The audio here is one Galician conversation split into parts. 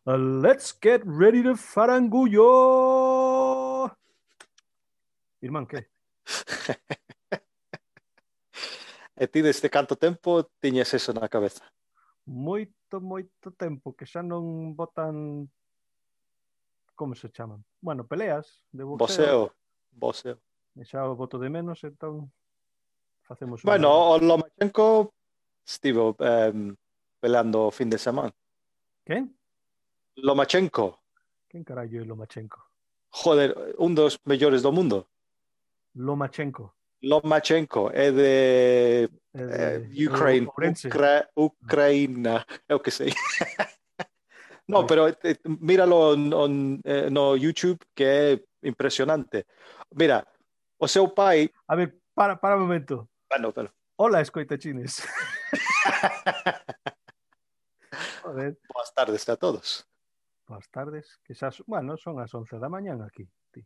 Let's get ready to farangullo. Irmán, que? E ti desde canto tempo tiñes eso na cabeza? Moito tempo que xa non botan, como se chaman? Bueno, peleas de boxeo. Boxeo. E xa o boto de menos, entón facemos unha. Bueno, o Lomachenko estivo peleando o fin de semana. Quen? Lomachenko, Quen carallo é Lomachenko? joder, un dos mellores do mundo. Lomachenko. Lomachenko é de Ukraine, Ourense. Ucraína, é o que sei. No, Pois. pero míralo no YouTube, que é impresionante. Mira, o seu pai... A ver, para un momento. Bueno. Hola, escoitachines. Joder. Boas tardes a todos. Boas tardes, que xa, bueno, son as 11 da mañán aquí, ti.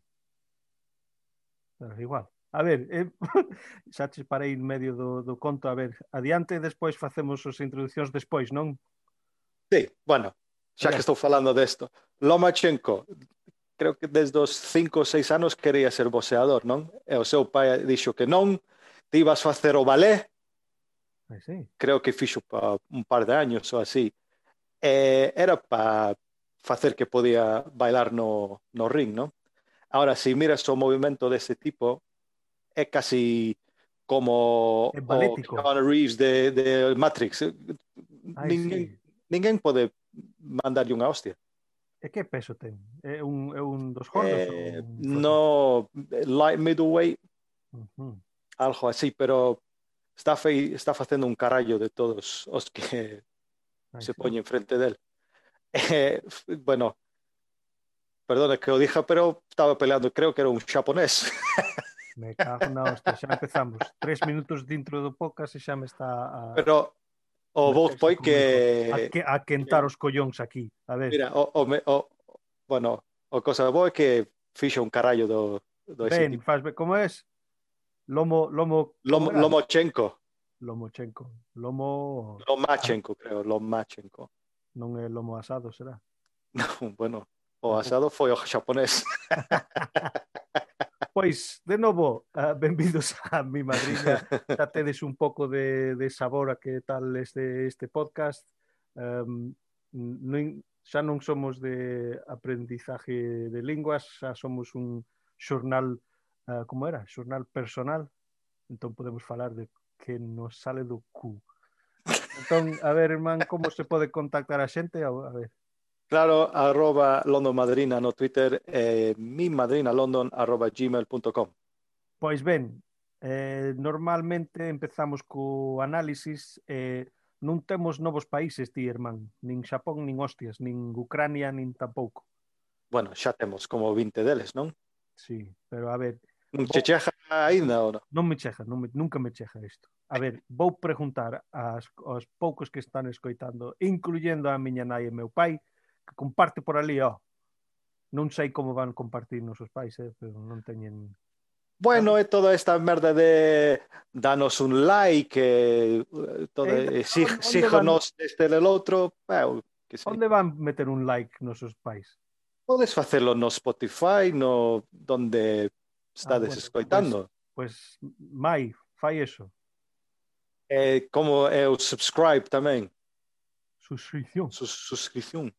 Pero igual. A ver, xa te parei en medio do conto, a ver, adiante e despois facemos as introducións despois, non? Sí, bueno, xa que estou falando desto. Lomachenko, creo que desde os 5 ou 6 anos quería ser boxeador, non? E o seu pai dixo que non, te ibas facer o balé, Sí. creo que fixo pa un par de años ou así. Era para facer que podía bailar no ring, non? Ahora, si miras o movimento dese tipo, é casi como É o balético. Keanu Reeves de Matrix. Ninguén pode mandarlle unha hostia. E que peso ten? É un dos gordos? No, light middleweight, algo así, pero está facendo un carallo de todos os que se poñen frente del. Bueno, perdona que o dija, pero estaba peleando, creo que era un xaponés. Me cago na hostia, xa empezamos. 3 minutos dentro do podcast e xa me está a... Pero o vos foi que... A quentar os collóns aquí. A ver. Mira, bueno, o cosa boa é que fixo un carallo do ese Ben, tipo. faz ben. Como es? Lomachenko. Lomachenko, creo, Lomachenko. Non é lomo asado, será? Non, bueno, o asado foi o xaponés. Pois, de novo, benvidos a mi madriña. Xa tedes un pouco de sabor a que tal este podcast. Xa non somos de aprendizaje de linguas, xa somos un xornal, como era? Xornal personal. Entón podemos falar de que nos sale do cu. Entón, a ver, irmán, como se pode contactar a xente? A ver. Claro, @LondonMadrina no Twitter, mimadrinalondon@gmail.com. Pois ben, normalmente empezamos co análisis, non temos novos países, ti, irmán, nin Xapón, nin hostias, nin Ucrania, nin tampouco. Bueno, xa temos como 20 deles, non? Sí, pero a ver... Non che cheja ainda ou non? Non me cheja, nunca me cheja isto. A ver, vou preguntar aos poucos que están escoitando, incluyendo a miña nai e meu pai, que comparte por ali, non sei como van compartir nosos pais, pero non teñen... Bueno, é toda esta merda de danos un like, síganos este del outro, que sei. Onde van meter un like nosos pais? Podes facelo no Spotify, no donde estades escoitando. Pois, mai, fai eso. Como é o subscribe tamén. Suscripción. Suscripción.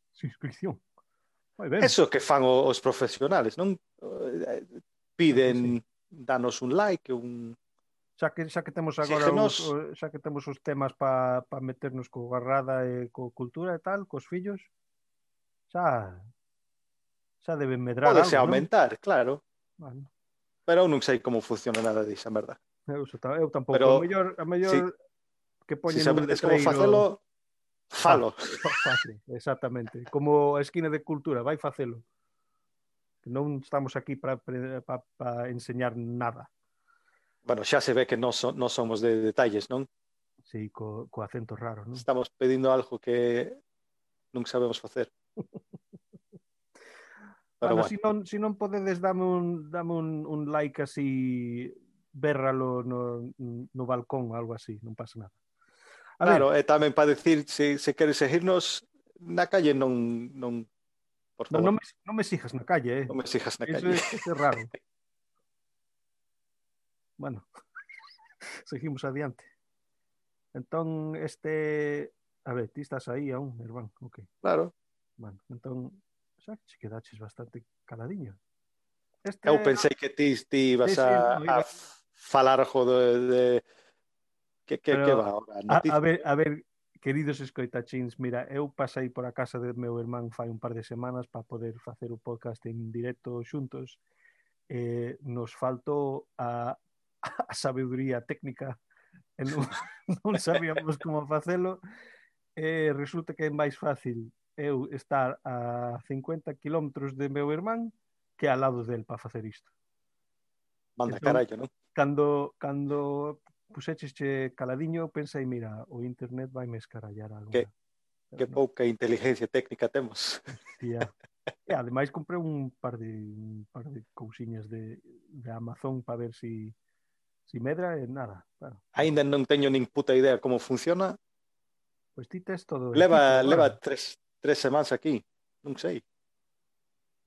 Eso que fan os profesionales, non? Piden danos un like, xa que temos agora xa que temos os temas para meternos co garrada e co cultura e tal, cos fillos, xa deben medrar algo, Pódese aumentar, non? Claro. Bueno. Pero eu non sei como funciona nada dixa merda. Eu tampouco. Pero, a mellor que poñen un letreiro... Se sabedes como facelo, falo. Exactamente. Como a esquina de cultura, vai facelo. Non estamos aquí para enseñar nada. Bueno, xa se ve que non somos de detalles, non? Sí, co acento raro, non? Estamos pedindo algo que non sabemos facer. Pero bueno. Si non podedes, dame un like así, bérralo no balcón, algo así, non pasa nada. Claro, e tamén para decir, se queres seguirnos, na calle non por favor. Non me sigas na calle, Non me sigas na Eso calle. é raro. Bueno, seguimos adiante. Entón, a ver, ti estás aí aún, Irván, ok. Claro. Bueno, entón, xa que che quedaches bastante caladiño. Eu pensei que ti ibas sí, no, a falar algo de que va ahora, a ver, queridos escoitachins, mira, eu pasei por a casa de meu irmán fai un par de semanas para poder facer o podcast en directo xuntos. Nos faltou a sabedoría técnica e non sabíamos como facelo. Resulta que é máis fácil eu estar a 50 kilómetros de meu irmán que ao lado del para facer isto. Manda Entón, carallo, non? cando puxechesche caladiño, pensei, mira, o internet vai me escarallar agora. Que pouca inteligencia técnica temos. Hostia. E ademais comprei un par de cousiñas de Amazon para ver si medra e nada. Claro. Ainda non teño nin puta idea como funciona. Pois ti tes todo Leva tres semanas aquí, non sei.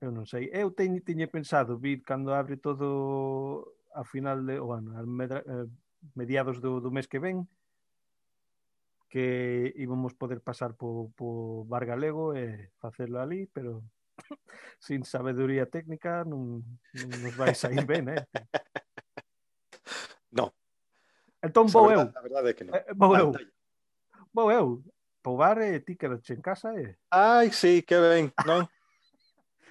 Eu non sei. Eu tiña pensado vir cando abre todo a final de, bueno, a mediados do mes que ven, que íbamos poder pasar po Bar Galego e facelo ali, pero sin sabedoría técnica non nos vai sair ben, No. Entón vou eu. A verdade é que non. Vou eu. Po bar e ti quedache en casa Ai, sí, que ben, non?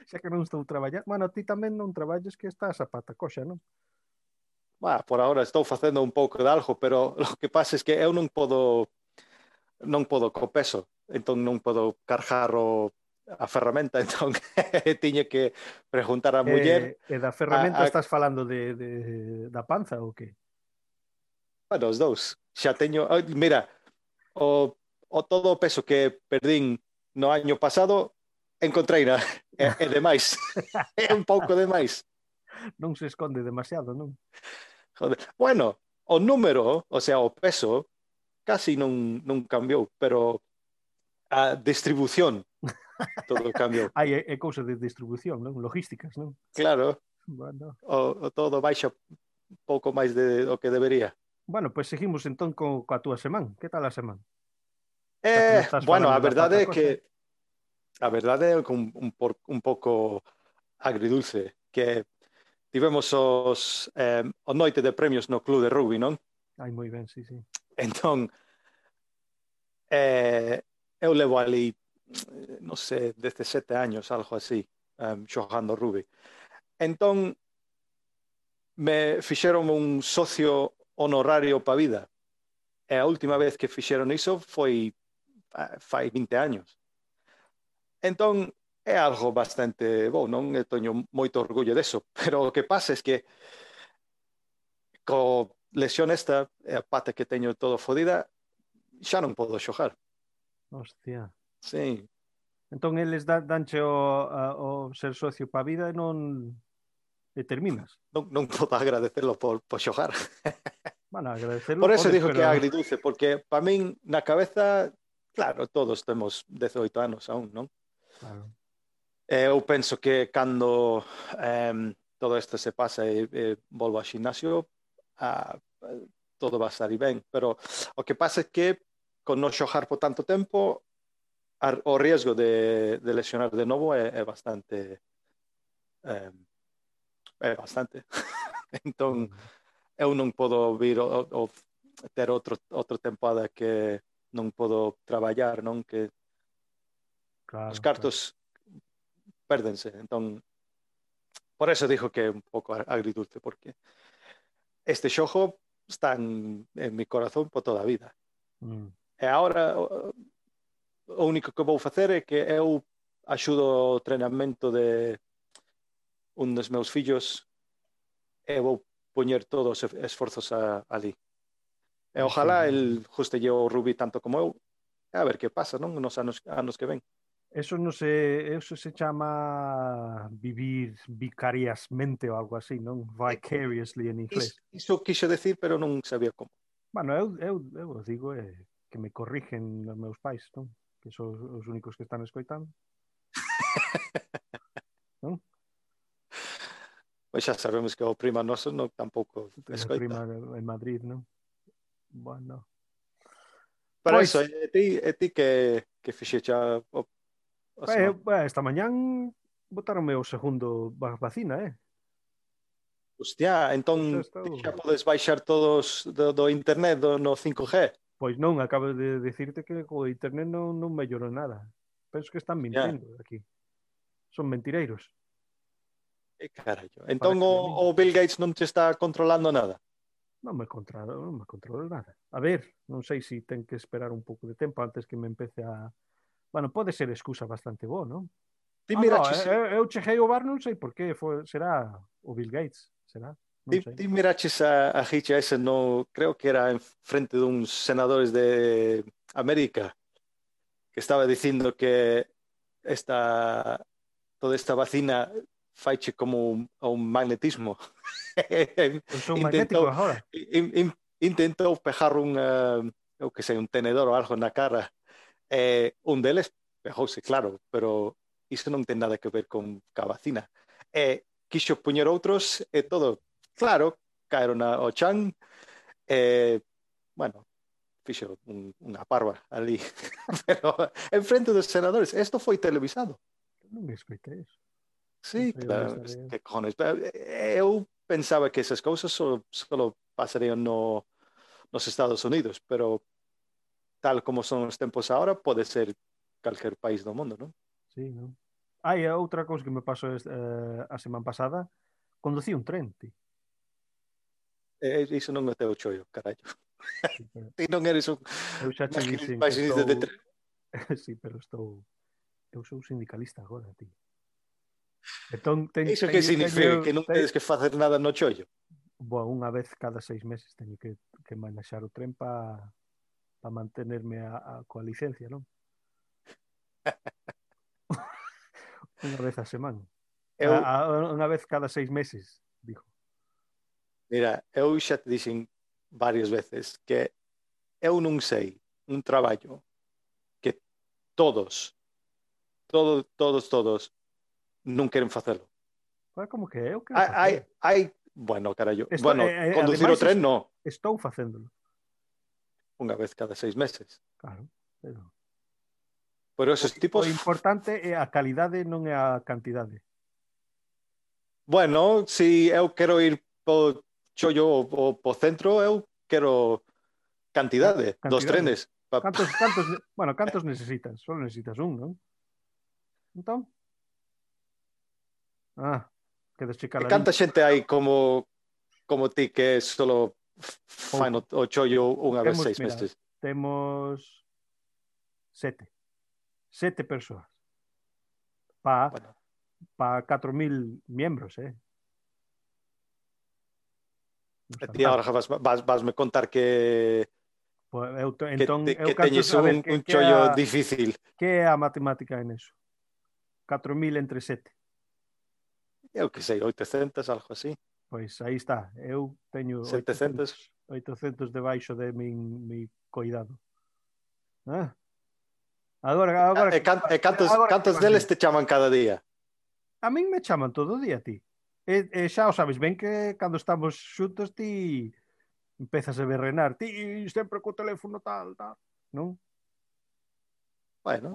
Xa que non estou traballando. Bueno, ti tamén non traballes que estás a pata coxa, non? Por ahora estou facendo un pouco de algo, pero o que pasa é que eu non podo co peso, entón non podo cargar a ferramenta, entón tiña que preguntar á muller. E da ferramenta estás falando da panza ou que? Bueno, os dous. Xa teño, mira, o todo o peso que perdín no año pasado encontreina, é demais. É un pouco demais. Non se esconde demasiado, non? Joder. Bueno, o número, o sea, o peso, casi non cambiou, pero a distribución todo cambiou. É cousa de distribución, non? Logísticas, non? Claro. Bueno. O todo baixa pouco máis do que debería. Bueno, pois seguimos entón coa túa semana. Que tal a semana? Bueno, a verdade é que a verdade é un pouco agridulce, que tivemos o noite de premios no club de rugby, non? Ai, moi ben, sí. Entón, eu levo ali, non sei, 17 años, algo así, xogando rugby. Entón, me fixeron un socio honorario para vida. E a última vez que fixeron iso foi fai 20 años. Entón, é algo bastante bo, non? Eu teño moito orgullo deso, pero o que pasa é que co lesión esta, a pata que teño todo fodida, xa non podo xogar. Hostia. Sí. Entón, eles danche o ser socio para a vida e non terminas. Non podo agradecerlo por xogar. Bueno, agradecerlo. Por eso digo que é agridulce, porque para min na cabeza, claro, todos temos 18 anos aún, non? Claro. Eu penso que cando todo isto se pasa e volvo ao ximnasio, todo va a estar ben, pero o que pasa é que con non xogar por tanto tempo, o riesgo de lesionar de novo é bastante entón eu non podo vir ou ter outra tempada que non podo traballar, non? Que os cartos pérdense, entón por eso dijo que é un pouco agridulce, porque este xogo está en mi corazón por toda a vida. E agora o único que vou facer é que eu axudo o treinamento de un dos meus fillos e vou poñer todos os esforzos ali. E ojalá el justelle o rugby tanto como eu, a ver que pasa, non? Nos anos que ven. Eso se chama vivir vicariasmente ou algo así, non? Vicariously en inglés. Iso quixo decir, pero non sabía como. Bueno, eu digo que me corrigen os meus pais, non? que son os únicos que están escoitando. Non? Pois xa sabemos que o prima noso non tampouco A escoita. prima en Madrid, non? Bueno. Pero Pois, eso, ti que fixecha o semana? esta mañán botaronme o segundo vacina, Hostia, entón Pois xa ti estou. xa podes baixar todos do internet no 5G. Pois non, acabo de dicirte que o internet non mellorou nada. Penso que están Ya, mentindo aquí. Son mentireiros. que carallo. Entón Parece a min. o Bill Gates non te está controlando nada. Non me controlo nada. A ver, non sei se ten que esperar un pouco de tempo antes que me empece a... Bueno, pode ser excusa bastante boa, non? Ti No, miraches, eu cheguei ao bar, non sei por qué, será o Bill Gates, será? Non sei. ti miraches a Hicha ese no, creo que era en frente de uns senadores de América que estaba dicindo que toda esta vacina faiche como un magnetismo. Eu sou magnético intentou, agora. intentou pejar eu que sei, un tenedor ou algo na cara. Un deles pejouse, claro, pero iso non ten nada que ver con a vacina. Quixo poñer outros e todo, claro, caeron ao chan, bueno, fixo unha parva ali, pero en frente dos senadores, isto foi televisado. Non me escoitei eso. Non Sí, sei onde claro, estaré. que cojones. Eu pensaba que esas cousas solo pasarían nos Estados Unidos, pero tal como son os tempos ahora, pode ser calquer país do mundo, non? Sí, non? Outra cousa que me pasou a semana pasada, conducí un tren, ti. Iso non é teu chollo, carallo. Sí, pero Ti non eres un eu xa che dixen que maquinista de estou... tren. Sí, pero eu sou sindicalista agora, ti. Entón, Iso que significa? Que non tedes que facer nada no chollo? unha vez cada 6 meses teño que manejar o tren para mantenerme coa licencia, non? Unha vez a semana. Eu, Unha vez cada 6 meses, dijo. mira, eu xa te dixen varias veces que eu non sei un traballo que todos non queren facelo. Como que eu quero facer? Bueno, carallo, conducir o Ademais, tren no, estou facéndolo. unha vez cada 6 meses. Claro, pero... Pero esos tipos, O importante é a calidade, non é a cantidade. bueno, si eu quero ir po chollo ou po centro, eu quero cantidade dos Cantidade. trenes. Cantos necesitas? Só necesitas un, non? Entón? Quedes checar E ali. canta xente hai como ti que solo fan o chollo unha vez 6 meses? Temos 7 persoas para 4.000 miembros, E ti agora vasme contar que teñes un chollo difícil. Que é a matemática en eso? 4.000 entre 7. Eu que sei, 800, algo así. Pois aí está. Eu teño 700. 800 debaixo de mi cuidado. Agora cantos deles te chaman cada día? A min me chaman todo o día, ti. Xa o sabes ben que cando estamos xuntos ti empezas a berrenar. Ti sempre co teléfono tal, non? Bueno.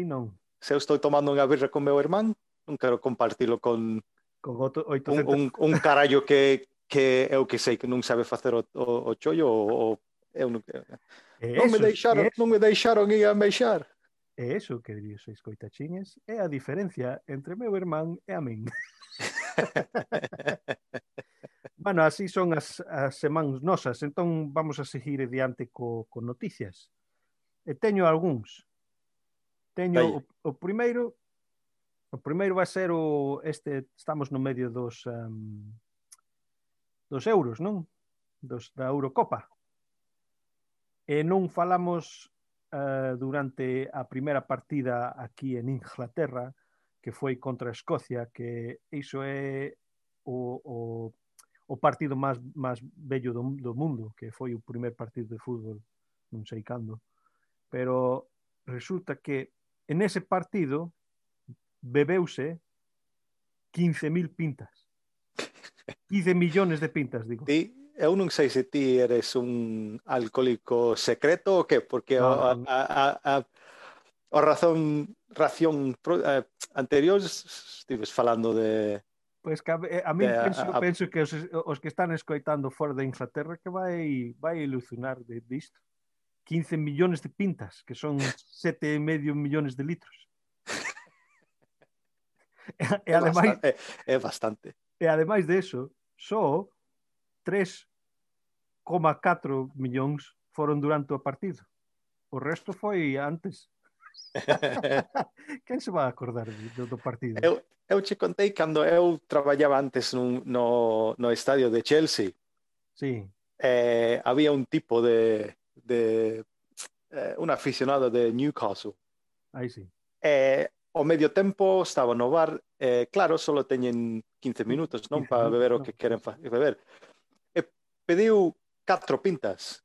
Non. Se eu estou tomando unha birra con meu irmán, non quero compartilo con 800... un carallo que eu que sei que non sabe facer o chollo ou eu non me deixaron ir a meixar. É eso, queridos escoitachines, é a diferencia entre meu irmán e a min. Bueno, así son as semanas nosas, entón vamos a seguir adiante co noticias. E teño algúns. Teño o primeiro vai ser estamos no medio dos euros, non? Da Eurocopa. E non falamos durante a primeira partida aquí en Inglaterra, que foi contra a Escocia, que iso é o partido máis bello do mundo, que foi o primer partido de fútbol, non sei cando. Pero resulta que en ese partido bebeuse 15.000 pintas. 15 millones de pintas, digo. Eu non sei se ti eres un alcohólico secreto ou que, porque No. a ración anterior estives falando de... Pois que a min penso que os que están escoitando fora de Inglaterra que vai ilusionar disto. 15 millones de pintas, que son 7,5 millones de litros. É bastante. E ademais de eso, só 3,4 millóns foron durante o partido. O resto foi antes. Quen se vai acordar do partido? Eu te contei cando eu traballaba antes no estadio de Chelsea. Sí. Había un tipo un aficionado de Newcastle. Aí sí. O medio tempo estaba no bar, claro, solo teñen 15 minutos, non? Para beber o que queren beber. E pediu 4 pintas.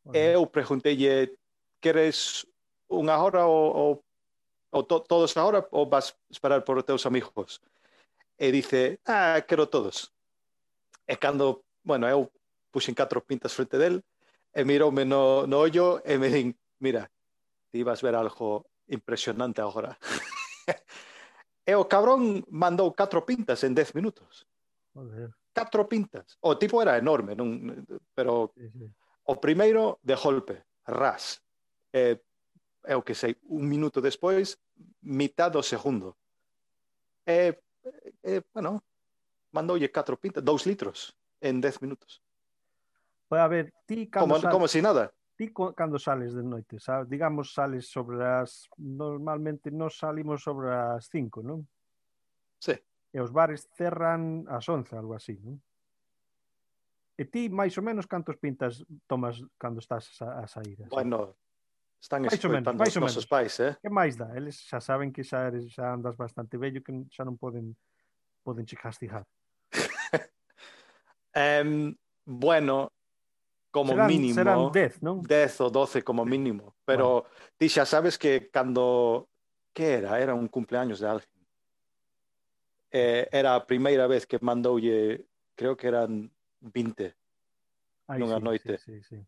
E eu pregunteille, queres unha hora ou todos agora ou vas esperar por os teus amigos? E dice, quero todos. E cando, bueno, eu puxen 4 pintas frente del, e miroume no ollo e me din, mira, ti vas ver algo impresionante agora. E o cabrón mandou 4 pintas en 10 minutos. Joder. 4 pintas. O tipo era enorme, non? Pero sí. O primeiro de golpe, ras. Eu que sei, un minuto despois, mitad do segundo. Bueno, mandoulle 4 pintas, 2 litros en 10 minutos. Pues a ver, ti como si nada. Ti cando sales de noite, sabes? Digamos, sales sobre as... Normalmente nos salimos sobre as 5, non? Sí. E os bares cerran ás 11, algo así, non? E ti, máis ou menos, cantos pintas tomas cando estás a sair? Así? Bueno, están escoitando os nosos pais, Que máis dá? Eles xa saben que xa andas bastante vello, que xa non poden che castigar. Bueno... como mínimo, serán 10, non? 10 ou 12 como mínimo, pero ti xa sabes que cando era un cumpleaños de alguén, era a primeira vez que mandoulle, creo que eran 20 nunha noite. Sí.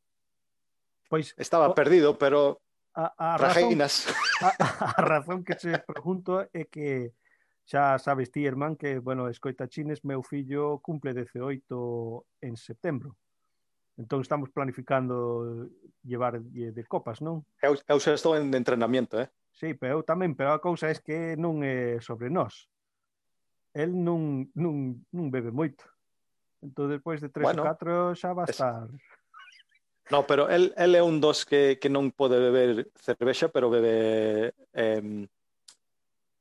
Pois estaba perdido, pero trajinas. A razón que se pregunto é que xa sabes ti, irmán, que, bueno, escoitachines, meu fillo cumple 18 en setembro. Entón estamos planificando llevar de copas, non? Eu xa estou en entrenamiento, Sí, pero eu tamén, pero a cousa é que non é sobre nós. El non bebe moito. Entón, despois de 3 ou 4 xa va a estar... No, pero el é un dos que non pode beber cervexa, pero bebe...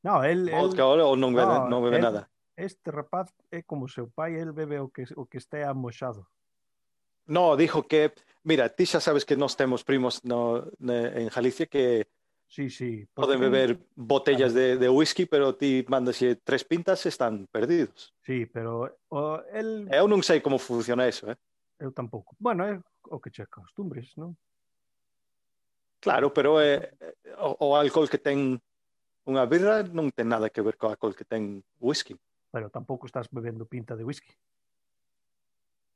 vodka ou non bebe nada. Este rapaz é como seu pai, el bebe o que estea amoxado. No, dijo que, mira, ti xa sabes que nós temos primos en Galicia que sí, poden beber botellas de whisky, pero ti mandas 3 pintas e están perdidos. Sí, pero eu non sei como funciona eso, Eu tampouco. Bueno, é o que che acostumbres, non? Claro, pero o alcohol que ten unha birra non ten nada que ver co alcohol que ten whisky. Pero tampouco estás bebendo pinta de whisky.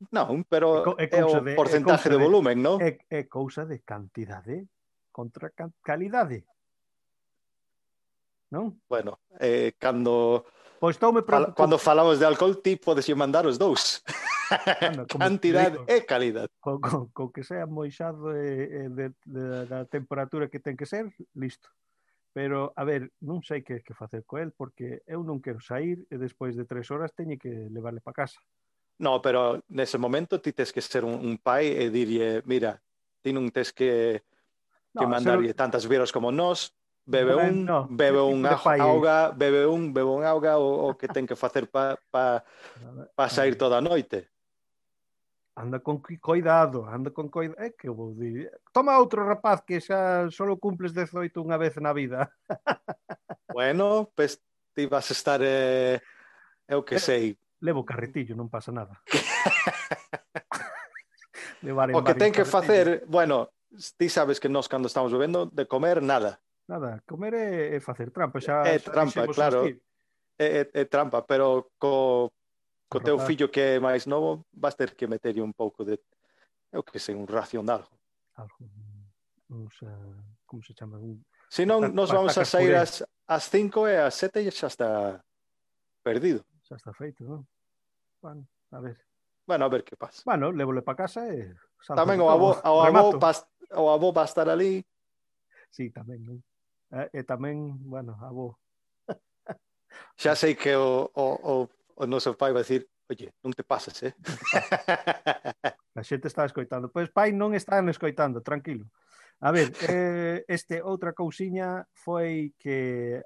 Non, pero é o porcentaje de volumen, non? É cousa de cantidade contra calidade. Non? Bueno, cando falamos de alcohol, ti podes mandar os dous. Bueno, cantidade e calidad. Con que sea moixado da temperatura que ten que ser, listo. Pero, a ver, non sei que facer co el, porque eu non quero sair e despois de 3 horas teño que levarle para casa. No, pero nese momento ti tes que ser un pai e dirlle, mira, ti non tes que mandarlle tantas birras como nós, bebe un auga, bebe un auga o que ten que facer para sair toda a noite. Anda con cuidado. É que eu vou dir. Toma outro, rapaz, que xa só cumples 18 unha vez na vida. Bueno, pues ti vas a estar, eu que sei. Levo carretillo, non pasa nada. O que ten que facer, bueno, ti sabes que nós cando estamos bebendo de comer nada. Nada, comer é facer trampa, É xa trampa, dixemos uns claro, ti. é trampa, pero co teu Rapaz, fillo que é máis novo vas ter que meterlle un pouco de, eu que sei, un ración de algo. algo, uns, como se chama? Se non, nos vamos a Patacas sair puré. ás 5 e ás 7 xa está perdido. Xa está feito, non? Bueno, a ver. Bueno, a ver que pasa. Bueno, lévole para casa e salgo Tamén de todo. Remato. o avó va a estar ali. Sí, tamén, non? E tamén, bueno, avó. Xa sei que o noso pai vai dicir, oye, non te pases, eh? Non te pases. A xente está escoitando. Pois pai non están escoitando, tranquilo. A ver, outra cousiña foi que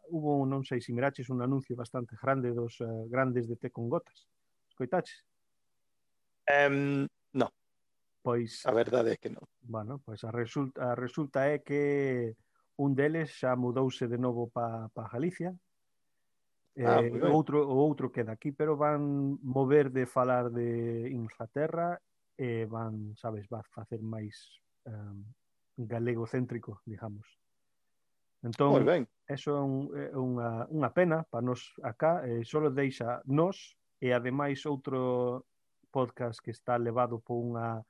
hubo, non sei se miraches, un anuncio bastante grande dos grandes de té con gotas. Escoitaches? No, Pois, a verdade é que non. bueno, pois a resulta é que un deles xa mudouse de novo para Galicia. Moi ben. O outro queda aquí, pero van mover de falar de Inglaterra e van, sabes, va facer máis galegocéntrico, digamos. Moi Entón, ben. eso é unha pena para nos acá, só deixa nos e ademais outro podcast que está levado por unha,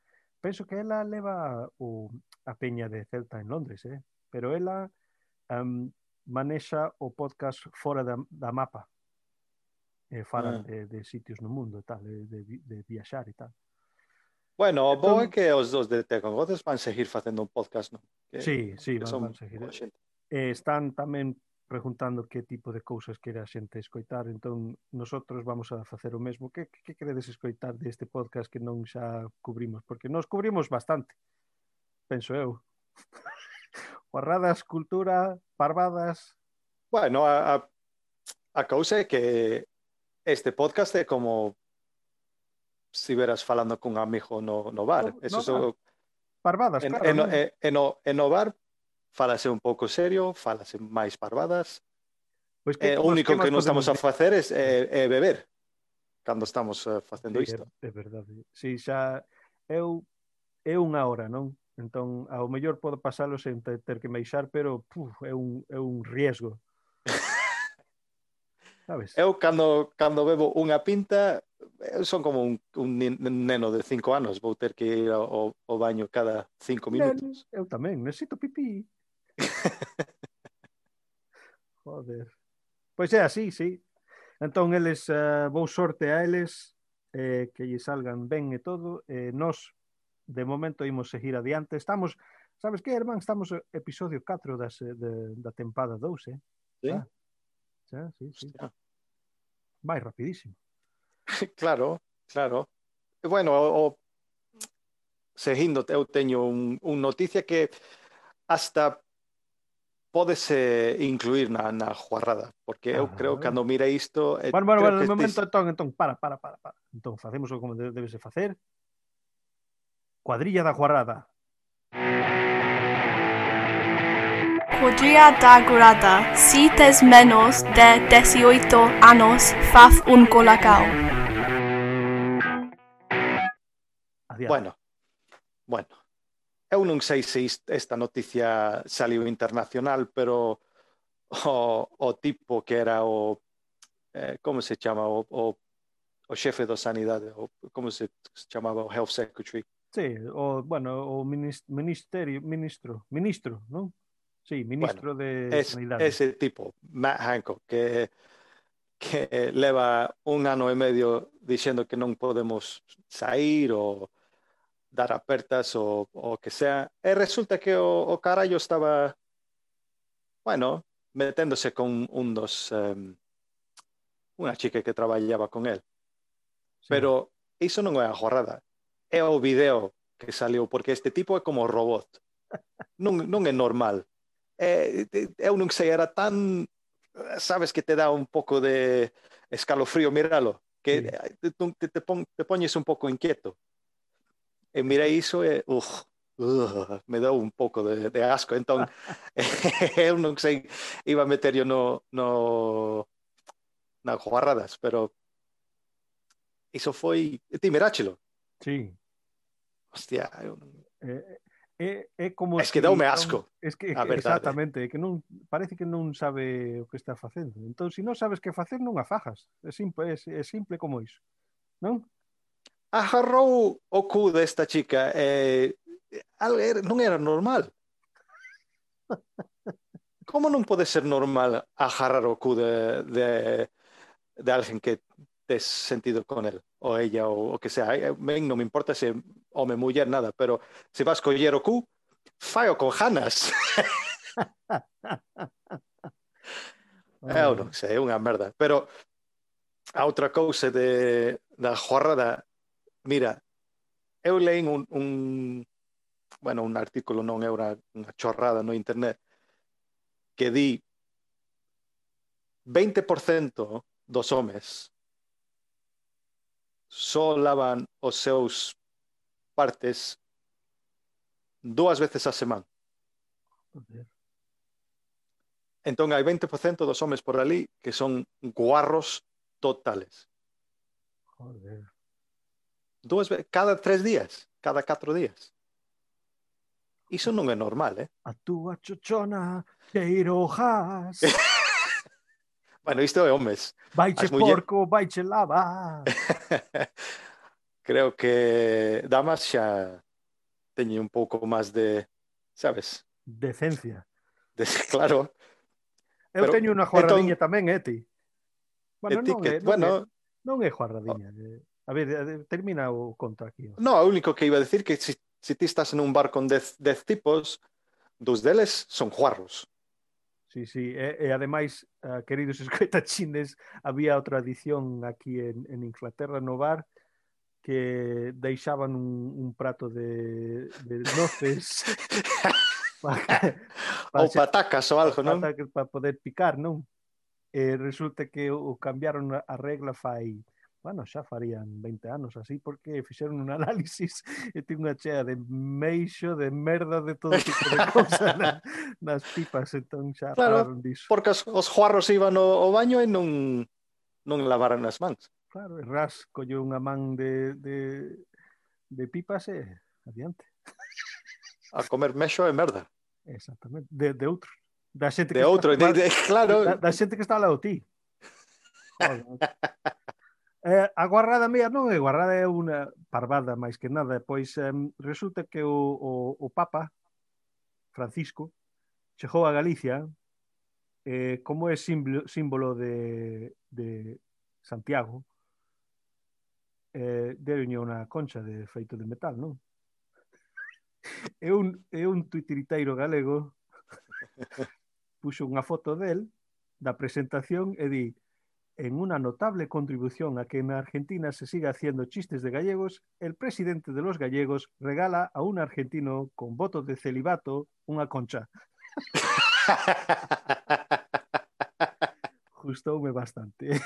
penso que ela leva a peña de Celta en Londres, pero ela manexa o podcast fora da mapa. Falan Ah. de sitios no mundo e tal, de viaxar e tal. Bueno, o bo é Entón, que os dos de Te con Gotes van seguir facendo un podcast, non? sí, Que van son seguir. boa xente. Están tamén preguntando que tipo de cousas quere a xente escoitar, entón nosotros vamos a facer o mesmo. Que queredes escoitar deste podcast que non xa cubrimos? Porque nos cubrimos bastante, penso eu. Guarradas, cultura, parvadas. Bueno, a cousa é que este podcast é como si veras falando cun amigo no bar. Eso No, parvadas, claro, non? no bar falase un pouco serio, falase máis parvadas. Pois O único que que máis non podemos estamos a dicir? facer é beber cando estamos facendo Sí, isto. é verdade. Sí, xa é unha hora, non? Entón, ao mellor podo pasalo sen ter que meixar, pero é un riesgo, sabes? Eu cando bebo unha pinta, eu son como un neno de 5 anos, vou ter que ir ao baño cada 5 minutos. Eu tamén, necesito pipí. Joder. Pois é así, sí. Entón, eles, vou sorte a eles, que lle salgan ben e todo, nós, de momento, imos seguir adiante. Estamos, sabes que, Herman? Estamos episodio 4 da tempada 2, Sí? Sí. Hostia. Vai rapidísimo. Claro, claro. E bueno, seguindo, eu teño un noticia que hasta pódese incluir na juarrada, porque eu creo que cando mire isto, creo Bueno, que de momento, entón, para. Entón, facemos como debese facer. Cuadrilla da Guarrada. Cuadrilla da Guarrada. Si tes menos de 18 anos, faz un colacao. Bueno. Eu non sei se esta noticia saliu internacional, pero o tipo que era como se chama, o xefe da sanidade, como se chamaba, o health secretary. Sí, o ministro, non? Sí, ministro de sanidade. Ese tipo, Matt Hancock, que leva un ano e medio dixendo que non podemos sair ou dar apertas ou que sea, e resulta que o carallo estaba, bueno, meténdose con unha chica que traballaba con él. Sí. Pero iso non é a jorrada, é o video que saliu, porque este tipo é como robot. Non é normal. Eu non sei, era tan, sabes, que te dá un pouco de escalofrío miralo, que te poñes un pouco inquieto. E mirei iso e me deu un pouco de asco. Entón, eu non sei, iba a meter yo na guarradas, pero iso foi... Ti miráchelo? Sí. Hostia, É como Es que si daume non, asco, es que a verdade. exactamente, que non parece que non sabe o que está facendo. Entón, se non sabes que facer, non a fajas. É simple como iso, non? Agarrou o cu desta chica non era normal. Como non pode ser normal agarrar o cu de alguén que tes sentido con él, ou ella, ou o que sea? Ben, non me importa se home, muller, nada, pero se vas coller o cu, faio con ganas. Eu non sei, é unha merda. Pero a outra cousa da jorrada, mira, eu leín bueno, un artículo, non é unha chorrada no internet, que di 20% dos homes só lavan os seus partes 2 veces a semana. Joder. Entón hai 20% dos homes por ali que son guarros totales. Joder. Cada 3 días, cada 4 días. Iso non é normal, eh? A túa chochona queirojas. Bueno, isto é homes. Vaiche porco, vaiche lava. Creo que damas xa teñen un pouco máis de, sabes? Decencia. Claro. Eu teño unha juarradiña tamén, ti? Bueno, non é juarradiña. A ver, termina o conto aquí. No, o único que iba a decir que se ti estás en un bar con 10 tipos, 2 deles son juarros. Sí, sí, e ademais, queridos escoitachines, había outra tradición aquí en Inglaterra no bar que deixaban un prato de noces ou patacas ou algo, non? Para poder picar, non? E resulta que o cambiaron a regla fai, bueno, xa farían 20 anos así, porque fixeron un análisis e ten unha chea de meixo, de merda, de todo tipo de cousa nas pipas, entón xa pararon diso. Porque os juarros iban ao baño e non lavaran as mans. Claro, e ras colleu unha man de pipas e adiante. A comer mexo e merda. Exactamente, de outro. Da xente de outro, claro. Da xente que está ao lado ti. A guarrada mía non é guarrada, é unha parvada máis que nada. Pois resulta que o Papa Francisco chegou a Galicia como é símbolo de Santiago, deulle unha concha de feito de metal, non? É un tuitiriteiro galego puxo unha foto del da presentación e di: en una notable contribución a que en Argentina se siga haciendo chistes de gallegos, el presidente de los gallegos regala a un argentino con voto de celibato unha concha. Gustoume bastante.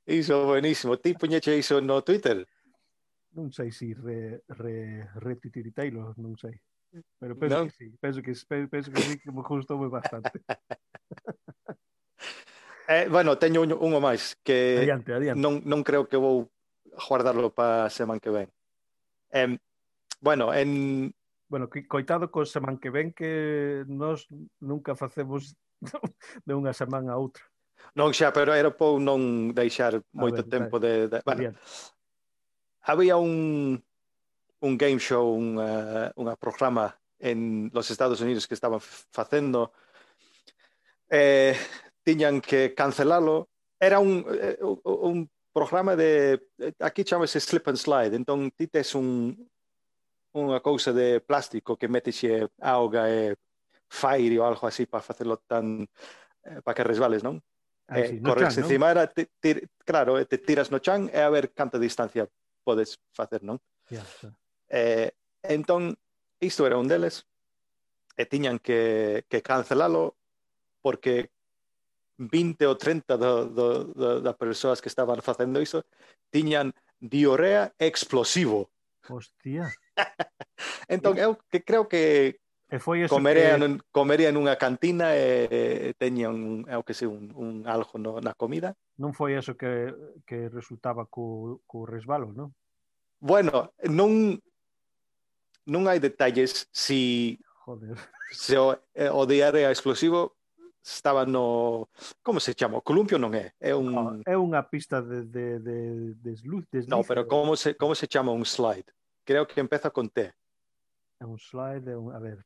Iso buenísimo. Ti puñeche iso no Twitter? Non sei se retuitiriteiro, non sei. Pero penso que sí, penso que sí, que me gustoume bastante. Bueno, teño unho máis que adiante. Non creo que vou guardarlo para a semana que ven. Bueno, coitado co semana que ven que nós nunca facemos de unha semana a outra. Non xa, pero era por non deixar moito tempo de bueno, había un game show, unha programa en los Estados Unidos que estaban facendo, tiñan que cancelalo. Era un programa de, aquí chamase slip and slide, entón ti tes unha cousa de plástico que metexe auga e fire ou algo así para facelo tan para que resbales, non? Sí, corres chan, encima, claro, te tiras no chan e a ver canta distancia podes facer, non? Entón, isto era un deles e tiñan que cancelalo porque 20 ou 30 das persoas que estaban facendo iso tiñan diarrea explosivo. Hostia. Entón, eu que creo que comería nunha cantina e teñan un algo na comida. Non foi eso que resultaba co resbalo, non? Bueno, non non hai detalles se Joder. o diarrea explosivo estaba no... Como se chama? O columpio non é. É un... É unha pista de deslize. No, pero como se chama un slide? Creo que empeza con T. É un slide, a ver,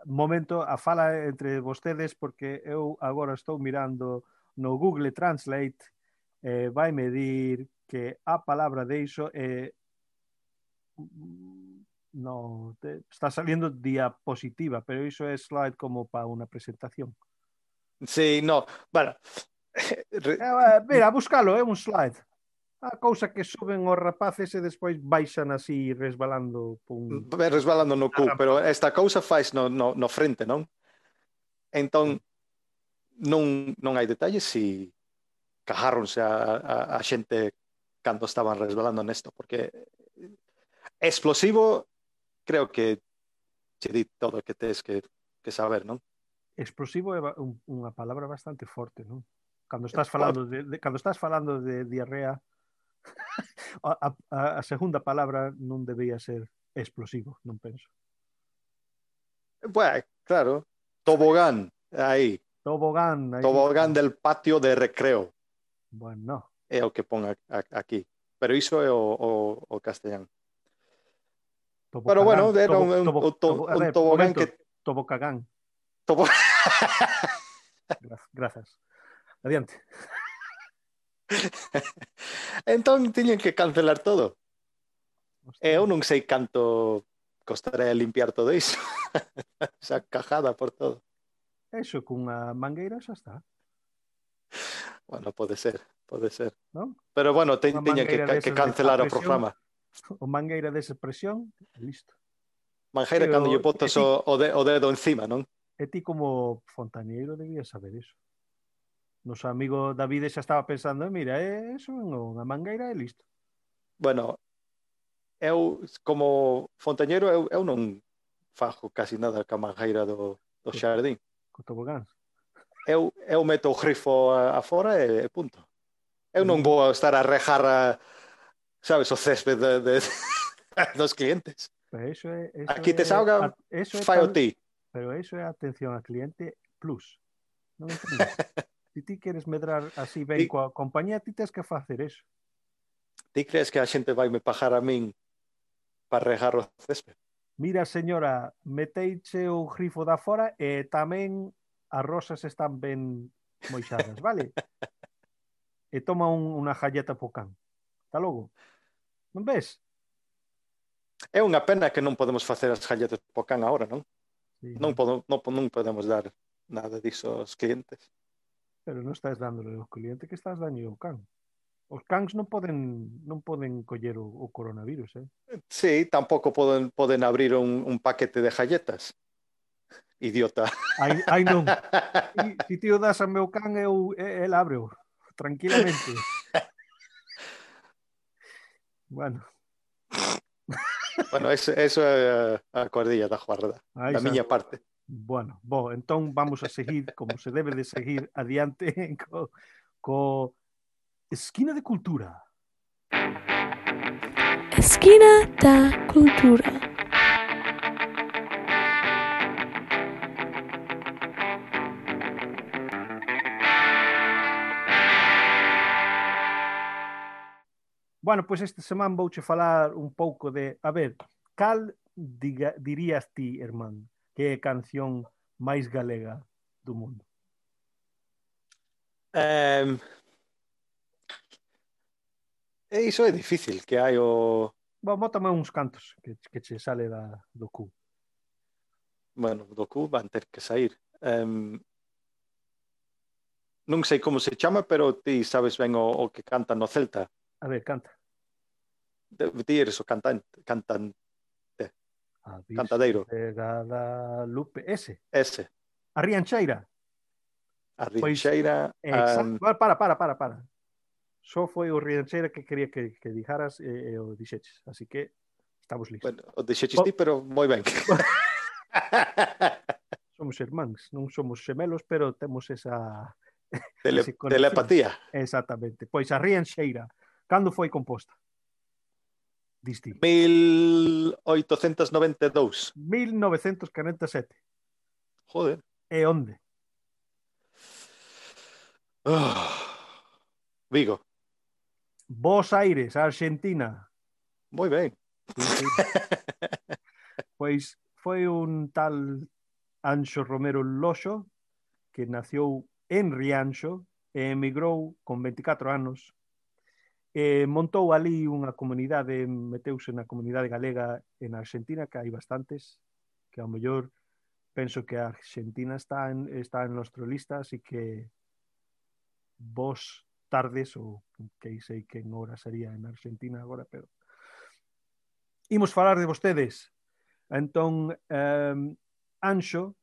momento, a fala entre vostedes, porque eu agora estou mirando no Google Translate, vai medir que a palabra deixo é no, está saliendo diapositiva, pero iso é slide como para unha presentación. Sí, no, bueno. Mira, buscalo, é un slide. A cousa que suben os rapaces e despois baixan así resbalando resbalando no cu, pero esta cousa faz no frente, non? Entón, non hai detalles se cajáronse a xente cando estaban resbalando nesto, porque explosivo creo que che di todo o que tes que saber, non? Explosivo é unha palabra bastante forte, non? Cando estás falando de diarrea, a segunda palabra non debía ser explosivo, non penso. Bueno, claro, tobogán, aí. Tobogán del patio de recreo. Bueno. É o que pon aquí. Pero iso é o castellán. Pero bueno, era un tobogán que... Tobocagán. Grazas. Adiante. Entón, tiñen que cancelar todo. Eu non sei canto costaré limpiar todo iso. Esa cajada por todo. Eso, cunha mangueira xa está. Bueno, pode ser. ¿No? Pero bueno, tiñen que cancelar o programa. O mangueira desa presión, listo. Mangueira cando lle botas o dedo encima, non? E ti como fontaneiro debías saber iso. Noso amigo David xa estaba pensando, mira, eso unha mangueira e listo. Bueno, eu como fontañeiro eu non fajo casi nada ca mangueira do xardín. Co tobogáns. Eu meto o grifo afora e punto. Eu non vou estar a rejar sabes, o césped dos clientes. Eso aquí te salga fai o ti. Pero eso é atención ao cliente plus. Non entendo. Se ti queres medrar así ben coa compañía, ti tens que facer eso. Ti crees que a xente vai me pagar a min para regar o césped? Mira, señora, meteiche o grifo da fora e tamén as rosas están ben moixadas, vale? E toma unha galleta po can. Hasta logo. Non ves? É unha pena que non podemos facer as galletas po can agora, non? Sí. Non podemos dar nada disso aos clientes. Pero non estás dándole ao cliente, que estás dando ao can. Os cans non poden coller o coronavirus, eh? Sí, tampouco poden abrir un paquete de galletas. Idiota. Ai non. Se ti o das ao meu can, el abre-o. Tranquilamente. Bueno. Bueno, eso é a cordilla da guarda, da miña parte. Bueno, entón vamos a seguir como se debe de seguir adiante co Esquina de Cultura. Esquina da Cultura. Bueno, pois esta semana vouche falar un pouco de, a ver, cal dirías ti, irmán, que é a canción máis galega do mundo? Iso é difícil, que hai o... Bueno, bótame uns cantos que che sale do cu. Bueno, do cu van ter que sair. Non sei como se chama, pero ti sabes ben o que canta no Celta. A ver, canta. Ti eres o cantante. Cantadeiro. Guadalupe. Ese. A Riancheira. A Riancheira. Pues, para. Só foi o Riancheira que quería que dijaras e o dixeches. Así que estamos listos. Bueno, o dixeches ti, pero moi ben. Somos irmáns, non somos xemelos, pero temos esa... telepatía. Exactamente. Pois a Riancheira, cando foi composta? Disti. 1892. 1947. Joder. E onde? Vigo. Buenos Aires, Argentina. Moi ben. Sí. Pois foi un tal Anxo Romero Loxo que nació en Rianxo e emigrou con 24 anos. Montou ali unha comunidade, meteuse na comunidade galega en Argentina, que hai bastantes, que ao mellor penso que a Argentina está en nuestra lista, así que vos tardes, ou que sei que en hora sería en Argentina agora, pero imos falar de vostedes. Entón, Anxo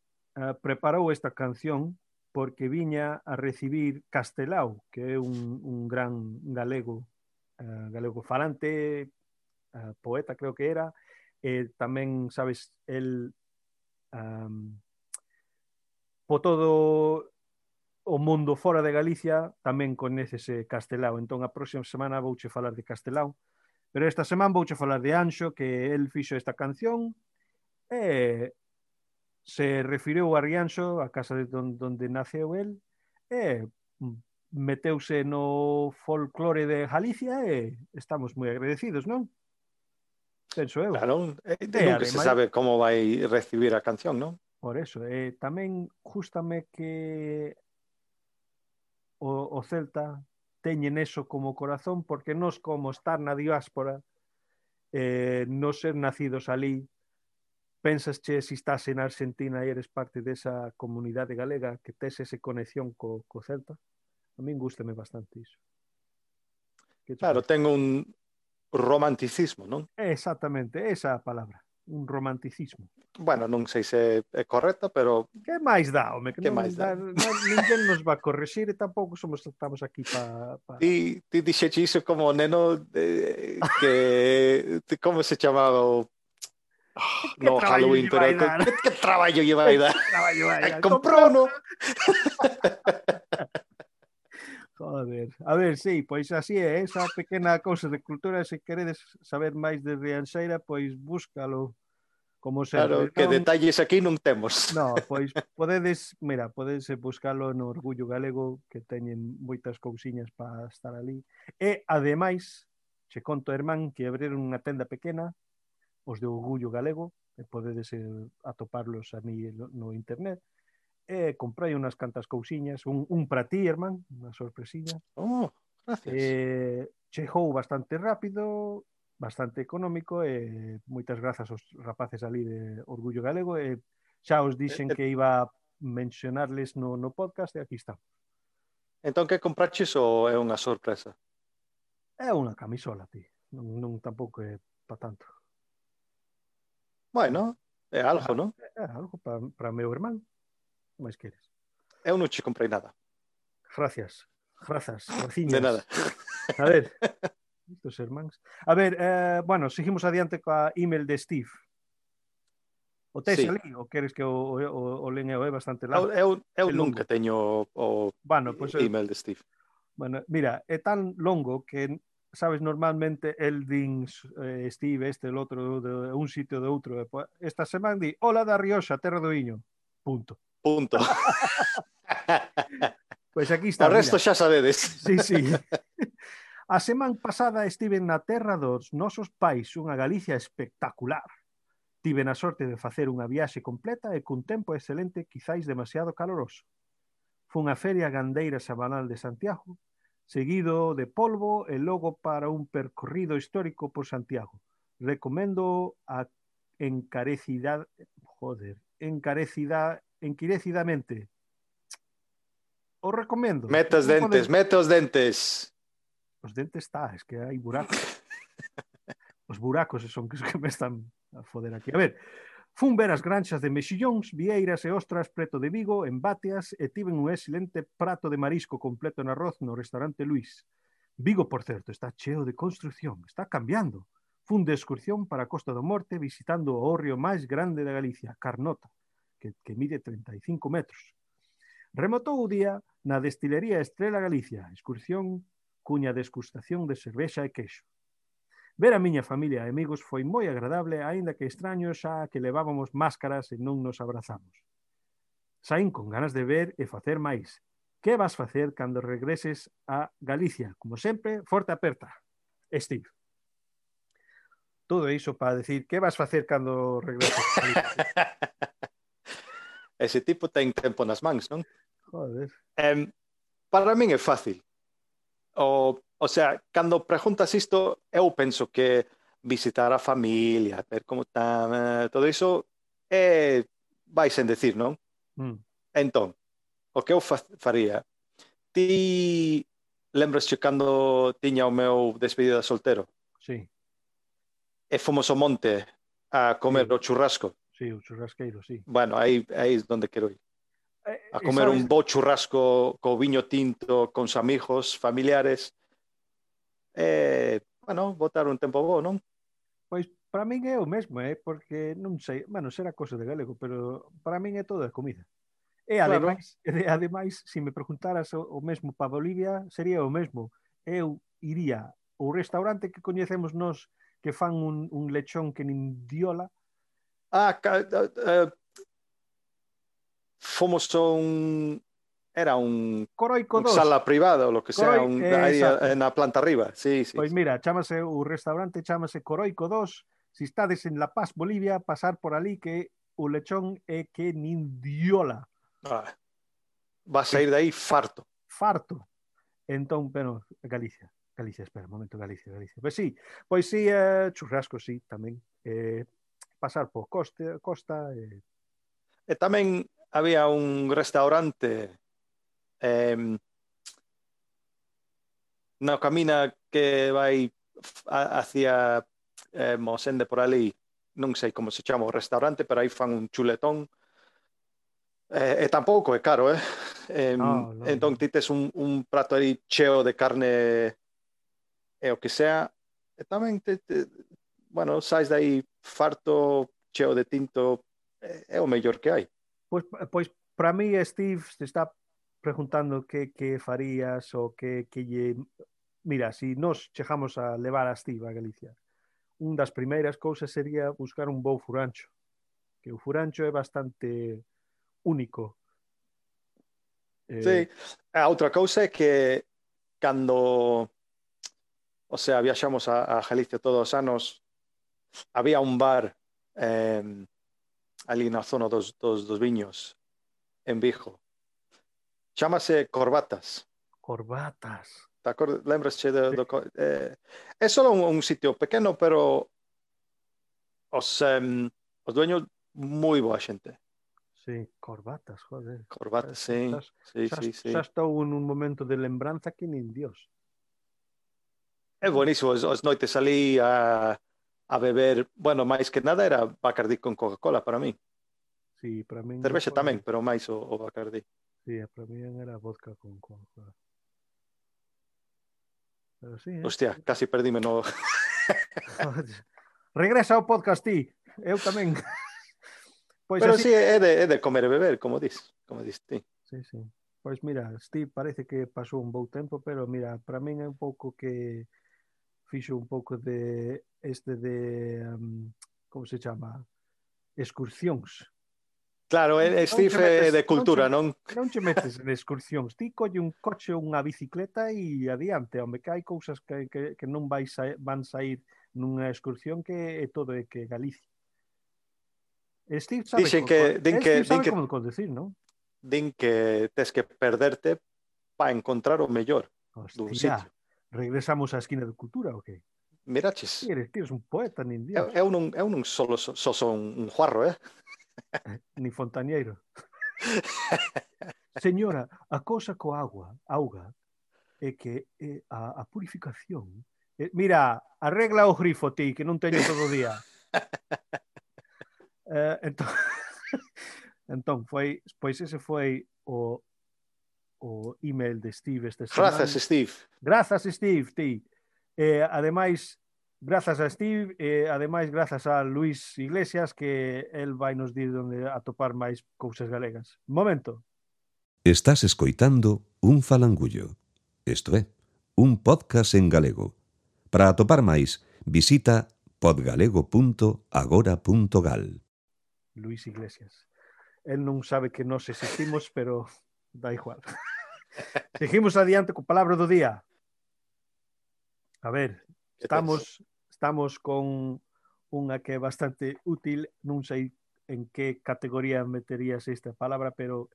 preparou esta canción porque viña a recibir Castelao, que é un gran galego, galego falante, poeta creo que era, tamén, sabes, el po todo o mundo fora de Galicia tamén coñécese Castelao, entón a próxima semana vouche falar de Castelao, pero esta semana vouche falar de Anxo, que el fixo esta canción e se refiriu a Rianxo, a casa de donde naceu el, e meteuse no folclore de Galicia e estamos moi agradecidos, non? Penso eu. Claro, nunca se sabe como vai recibir a canción, non? Por eso, tamén gústame que o Celta teñen eso como corazón, porque nos como estar na diáspora, non ser nacidos ali, pensas che si estás en Argentina e eres parte desa comunidade galega, que tes esa conexión co Celta. A min gústame bastante iso. Claro, ten un romanticismo, non? Exactamente, esa a palabra, un romanticismo. Bueno, non sei se é correcta, pero... Que máis dá, home? Que máis dá? Ninguén nos va a correxir e tampouco estamos aquí para... Ti dixeche iso como neno que... Como se chamaba o... No, Halloween, pero que traballo lle vai dar? Comprou, non? Joder, a ver, sí, pois así é, esa pequena cousa de cultura, se queredes saber máis de Rianxeira, pois búscalo, como sempre. Claro, que detalles aquí non temos. No, pois podedes buscalo no Orgullo Galego, que teñen moitas cousiñas para estar ali. E, ademais, che conto, Hermán, que abriron unha tenda pequena, os de Orgullo Galego, e podedes atoparlos a mí no internet, e comprei unhas cantas cousiñas, un para ti, Hermán, unha sorpresiña. Oh, gracias. Chegou bastante rápido, bastante económico, e moitas grazas aos rapaces ali de Orgullo Galego, e xa os dixen que iba a mencionarles no podcast, e aquí está. Entón, que compraches ou é unha sorpresa? É unha camisola, ti. Non tampouco é para tanto. Bueno, é algo, non? É algo para meu irmán. máis queres? Eu non che comprei nada. Gracias, graciñas. De nada. A ver, estos irmáns. A ver, bueno, seguimos adiante coa email de Steve. O tes ali, ou queres que o len eu? É bastante largo. Eu nunca teño o email de Steve. Bueno, mira, é tan longo que, sabes, normalmente el din Steve, el outro, de un sitio de outro. Esta semana di, hola da Rioxa, terra do Iño. Punto. Pois aquí está. O resto xa sabedes. Sí. A semana pasada estiven na terra dos nosos pais, unha Galicia espectacular. Tiven a sorte de facer unha viaxe completa e cun tempo excelente, quizáis demasiado caloroso. Fun a feria gandeira semanal de Santiago, seguido de polvo e logo para un percorrido histórico por Santiago. Recomendo encarecidamente. Os recomendo. Mete os dentes. Os dentes es que hai buracos. Os buracos son que me están a foder aquí. A ver, fun ver as granxas de mexillóns, vieiras e ostras preto de Vigo, en Batias, e tiven un excelente prato de marisco completo en arroz no restaurante Luis. Vigo, por certo, está cheo de construcción, está cambiando. Fun de excursión para a Costa do Morte visitando o hórreo máis grande da Galicia, Carnota, que mide 35 metros. Rematou o día na destilería Estrela Galicia, excursión cuña desgustación de cervexa e queixo. Ver a miña familia e amigos foi moi agradable, aínda que extraño xa que levábamos máscaras e non nos abrazamos. Saín con ganas de ver e facer máis. Que vas facer cando regreses a Galicia? Como sempre, forte aperta. Steve. Todo iso para decir que vas facer cando regreses a Galicia. Ese tipo ten tempo nas mans, non? Joder. Para min é fácil. O sea, cando preguntas isto, eu penso que visitar a familia, ver como está, todo iso, vai sen decir, non? Entón, o que eu faría? Ti lembras-te cando tiña o meu despedida de soltero? Sí. E fomos ao monte a comer o churrasco. Sí, o churrasqueiro, sí. Bueno, aí é onde quero ir. A comer un bo churrasco co viño tinto, con os amigos, familiares. Bueno, botar un tempo bo, non? Pois para min é o mesmo, porque non sei, bueno, será cosa de galego, pero para min é toda a comida. E ademais, se me preguntaras o mesmo para Bolivia, sería o mesmo. Eu iría ao restaurante que coñecemos nós que fan un lechón que nin diola. Fomos era un Coroico 2. Sala privada ou lo que sea, aí na planta arriba. Sí. Pois mira, o restaurante chamase Coroico 2. Se estades en La Paz, Bolivia, pasar por ali que o lechón é que nin diola. Vas a ir de aí farto. Farto. Entón, bueno, Galicia, espera, un momento, Galicia. Pois sí, churrasco, sí, tamén. Pasar por costa. E tamén había un restaurante na camina que vai hacia Mosende por ali, non sei como se chama o restaurante, pero aí fan un chuletón. E tampouco é caro, No. Entón ti tes un prato aí cheo de carne e o que sea, e tamén bueno, sais de aí farto, cheo de tinto, é o mellor que hai. Pois para mí, Steve, se está preguntando que farías ou que lle... Mira, se nos chegamos a levar a Steve a Galicia, un das primeiras cousas sería buscar un bo furancho, que o furancho é bastante único. Sí, a outra cousa é que cando, o sea, viaxamos a Galicia todos os anos, había un bar ali na zona dos viños en Vigo. Chámase Corbatas. Lembras-te é só un sitio pequeno, pero os dueños moi boa xente. Sí, Corbatas, joder. Corbatas, sí. Xa estou en un momento de lembranza que nin Dios. É buenísimo, as noites ali a beber, bueno, máis que nada era Bacardí con Coca-Cola para mí. Sí, para min... Cervexa tamén, pero máis o Bacardí. Sí, para mí era vodka con Coca-Cola. Pero sí, hostia, casi perdíme no... Regresa ao podcast ti, eu tamén. Pois pero así... sí, é de comer e beber, como dis ti. Sí. Pois mira, Steve parece que pasou un bo tempo, pero mira, para min é un pouco que fixo un pouco de como se chama? Excursións. Claro, Steve é de cultura, non? Non che metes en excursións. Ti colle un coche ou unha bicicleta e adiante, home, que hai cousas que non van sair nunha excursión que é todo de que Galicia. Steve sabe como conducir, non? Din que tes que perderte para encontrar o mellor dun sitio. Regresamos á esquina de cultura, o que? Miraches. Eres un poeta, nin Dios. Eu non só son un juarro, Ni fontañeiro. Señora, a cousa coa auga é que a purificación... Mira, arregla o grifo ti, que non teño todo o día. Entón, pois ese foi o email de Steve esta semana. Grazas, Steve, ti. Ademais, grazas a Steve e ademais grazas a Luís Iglesias, que el vai nos dir onde atopar máis cousas galegas. Momento. Estás escoitando Un Falangullo. Isto é, un podcast en galego. Para atopar máis, Visita podgalego.agora.gal. Luis Iglesias. Él non sabe que nós existimos, pero da igual. Seguimos adiante con palabra do día. A ver, estamos con unha que é bastante útil, non sei en que categoría meterías esta palabra, pero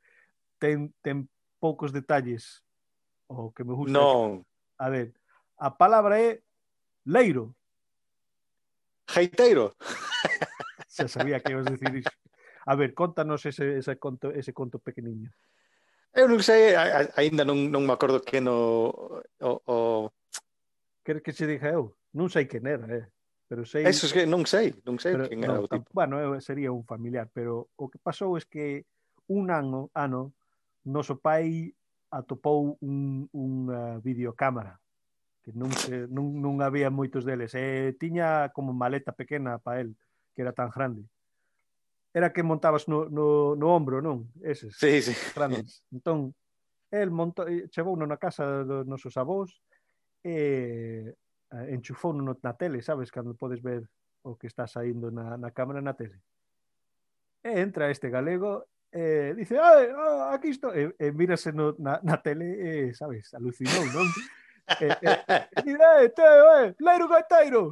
ten poucos detalles, o que me gusta. Non. A ver, a palabra é leiro. Jeiteiro. Xa sabía que ibas a decir iso. A ver, contanos ese conto pequeniño. Eu non sei, aínda non me acordo que o Queres que se diga eu? Non sei quen era, pero sei... Eso es que non sei quen era o tipo. Bueno, sería un familiar, pero o que pasou é que un ano noso pai atopou unha videocámara que non había moitos deles. Tiña como maleta pequena para el, que era tan grande. Era que montabas no ombro, non? Eses. Sí, sí. Grandes. Entón, el chegou na casa dos nosos avós e enchufou na tele, sabes? Cando podes ver o que está saindo na cámara na tele. E entra este galego e dice, aquí estou. E mírase na tele, sabes? Alucinou, non? Leiro gaiteiro!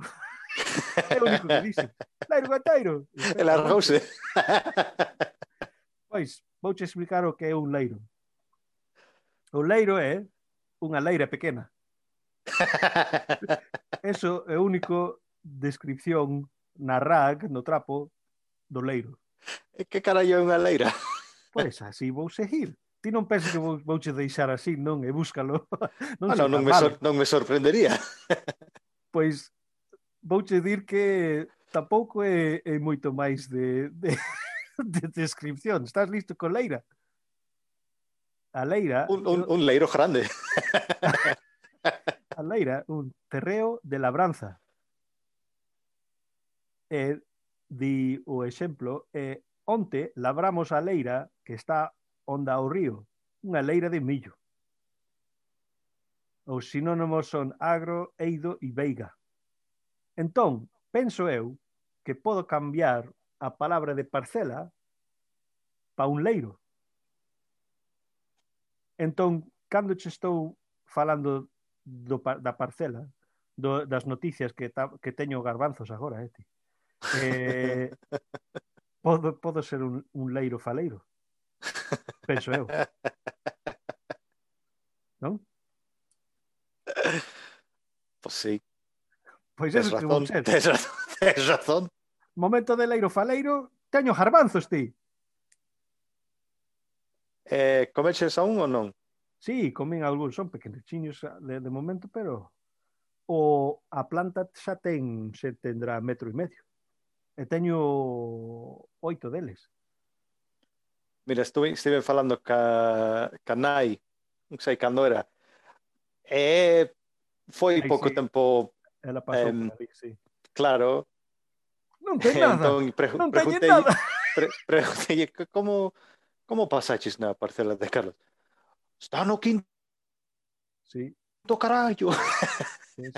É o único que dice. Leiro gaiteiro! E largouse. Pois, vouche explicar o que é un leiro. O leiro é unha leira pequena. Eso é a única descripción na RAG, no trapo, do leiro. E que carallo é unha leira? Pois así vou seguir. Ti non penses que vouche deixar así, non? E búscalo. Non me sorprendería. Pois vouche dir que tampouco é moito máis de descripción. Estás listo con leira? A leira... Un leiro grande. A leira, un terreo de labranza. E di o exemplo, onte labramos a leira que está onda ao río, unha leira de millo. Os sinónimos son agro, eido e veiga. Entón, penso eu que podo cambiar a palabra de parcela para un leiro. Entón, cando che estou falando da parcela, das noticias que teño garbanzos agora, ti. Podo ser un leiro faleiro. Penso eu. Non? Pois sí. Pois eso que vou ser. Tes razón. Momento de leiro faleiro, teño garbanzos, ti. Comeches a un ou non? Sí, comín algúns, son pequenichiños de momento, pero a planta xa tendrá 1,5 metros. E teño 8 deles. Mira, estive falando ca nai, non sei cando era. Foi pouco tempo. Ela pasou por ali, sí. Claro. Non ten nada. Entón, non teñen nada. Preguntei como pasaches na parcela de Carlos? Está no quinto. Sí. Carallo. Sí.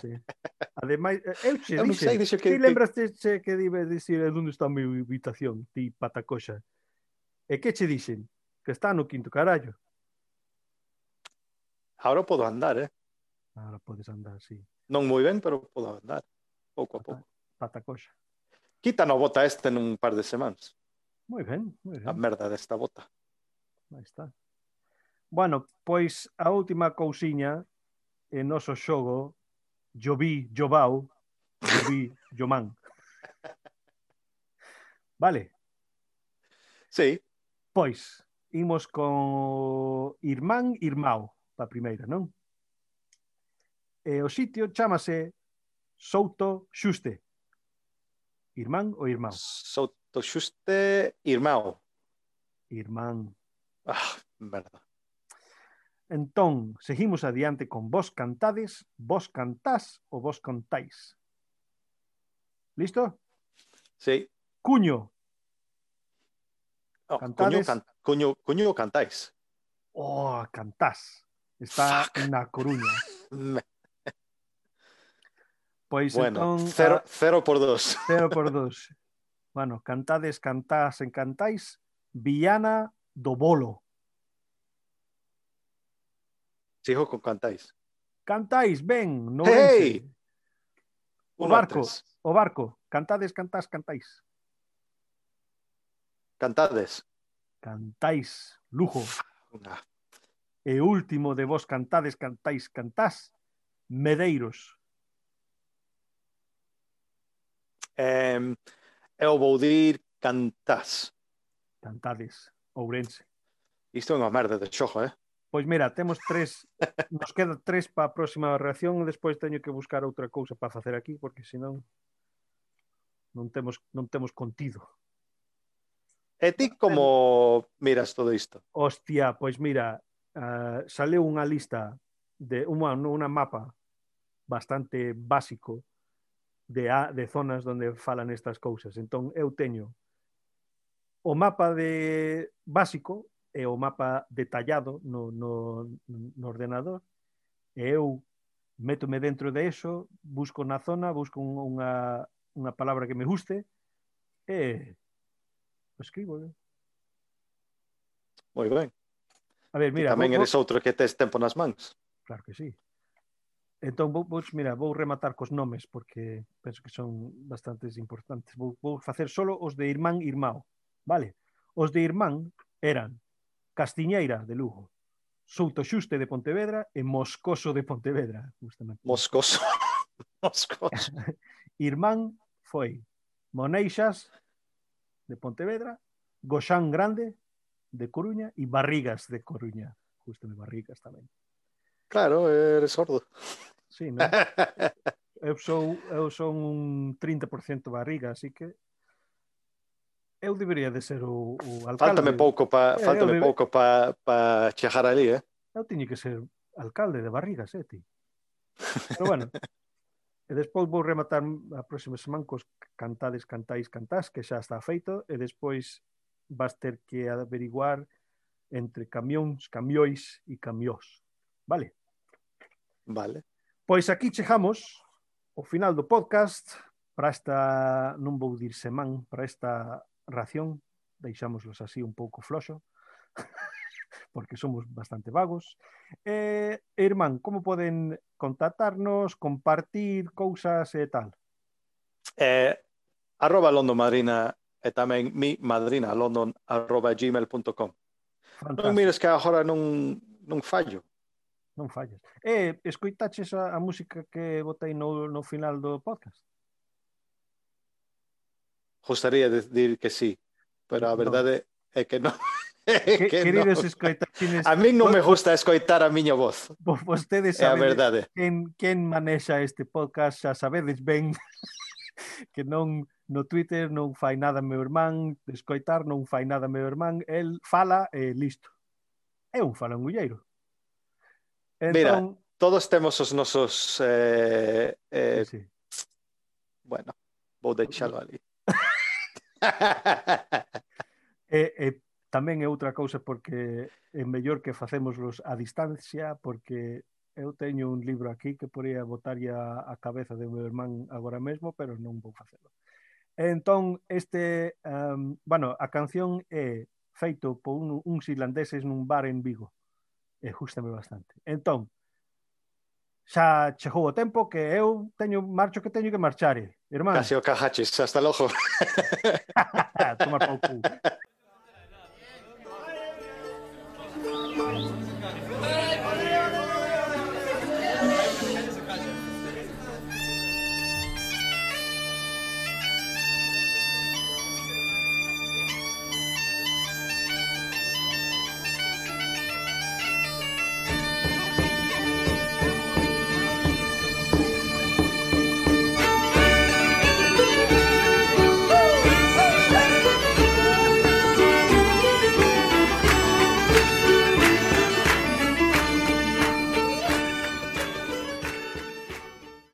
Ademais, eu che dixen, ti lembraste que dibe dicir onde está a mi habitación, ti patacoxa. E que che dixen? Que está no quinto carallo. Ahora podo andar, Ahora podes andar, sí. Non moi ben, pero podo andar. Pouco a pouco. Patacoxa. Quita no bota nun par de semanas. Moi ben. A merda desta bota. Aí está. Bueno, pois a última cousiña en noso xogo Joví, Jovau, Joví, Jomán. Vale? Sí. Pois, imos con irmán, irmão, pa primeira, non? E o sitio chámase Souto Xuste. Irmán ou irmão? Souto Xuste, irmão. Irmán. Merda. Entón, seguimos adiante con vos cantades, vos cantás ou vos contáis. Listo? Sí. Cuño. Cantades. Cuño cantáis. Cantás. Está na Coruña. Pois Bueno, entón... 0 por 2. 0 por 2. Bueno, cantades, cantás, encantáis. Viana do Bolo. Sigo con cantáis. Cantáis, ben, no ¡Hey! Ourense. 1-3. O barco. Cantades, cantás, cantáis. Cantades. Cantáis, Lugo. Una. E último de vos cantades, cantáis, cantás. Medeiros. Eu vou dir cantás. Cantades, Ourense. Isto é unha merda de xogo, Pois mira, temos 3, nos queda 3 para a próxima reacción, despois teño que buscar outra cousa para facer aquí, porque senón non temos contido. E ti como miras todo isto? Hostia, pois mira, saleu unha lista de unha mapa bastante básico de zonas onde falan estas cousas. Entón eu teño o mapa de básico e o mapa detallado no ordenador, e eu métome dentro de eso, busco na zona, busco unha palabra que me guste e escribo. Moi ben. A ver, mira, tamén eres outro que tes tempo nas mans. Claro que sí. Entón, vou rematar cos nomes porque penso que son bastantes importantes. Vou facer solo os de Irmán Irmao, vale? Os de Irmán eran Castiñeira de Lugo, Souto Xuste de Pontevedra e Moscoso de Pontevedra. Justamente. Moscoso. Moscoso. Irmán foi Moneixas de Pontevedra, Goxán Grande de Coruña e Barrigas de Coruña. Justamente Barrigas tamén. Claro, eres sordo. Sí, non? Eu son un 30% barriga, así que eu debería de ser o alcalde. Fáltame pouco para chegar ali, Eu tiño que ser alcalde de Barrigas, ti. Pero bueno, e despois vou rematar a próxima semana cos cantades, cantáis, cantás, que xa está feito, e despois vas ter que averiguar entre camións, camiois e camiós. Vale? Vale. Pois aquí chegamos ao final do podcast para esta, non vou dir semán, para esta ración, deixámoslos así un pouco floxo, porque somos bastante vagos. Irmán, como poden contactarnos, compartir cousas e tal? @LondonMadrina e tamén mi madrina, london@gmail.com. Non mires que agora non fallo. Non fallas. Escoitaches a música que botei no final do podcast? Gostaría de decir que sí, pero a verdade é que non. Queridos escoitachines, a min non me gusta escoitar a miña voz. Vostedes é a verdade. Quen manexa este podcast, xa sabedes ben que non no Twitter non fai nada meu irmán, de escoitar non fai nada meu irmán, el fala e listo. É un falangulleiro. Entón, mira, todos temos os nosos sí. Bueno, vou deixalo ali. Tamén é outra cousa porque é mellor que facémoslos a distancia, porque eu teño un libro aquí que podría botarlle a cabeza de meu irmán agora mesmo, pero non vou facelo. Entón, bueno, a canción é feito por uns irlandeses nun bar en Vigo. E gústame bastante. Entón, xa chegou o tempo que eu marcho que teño que marchar, irmán. Casi o cajaches, hasta logo. Tomar pau cu.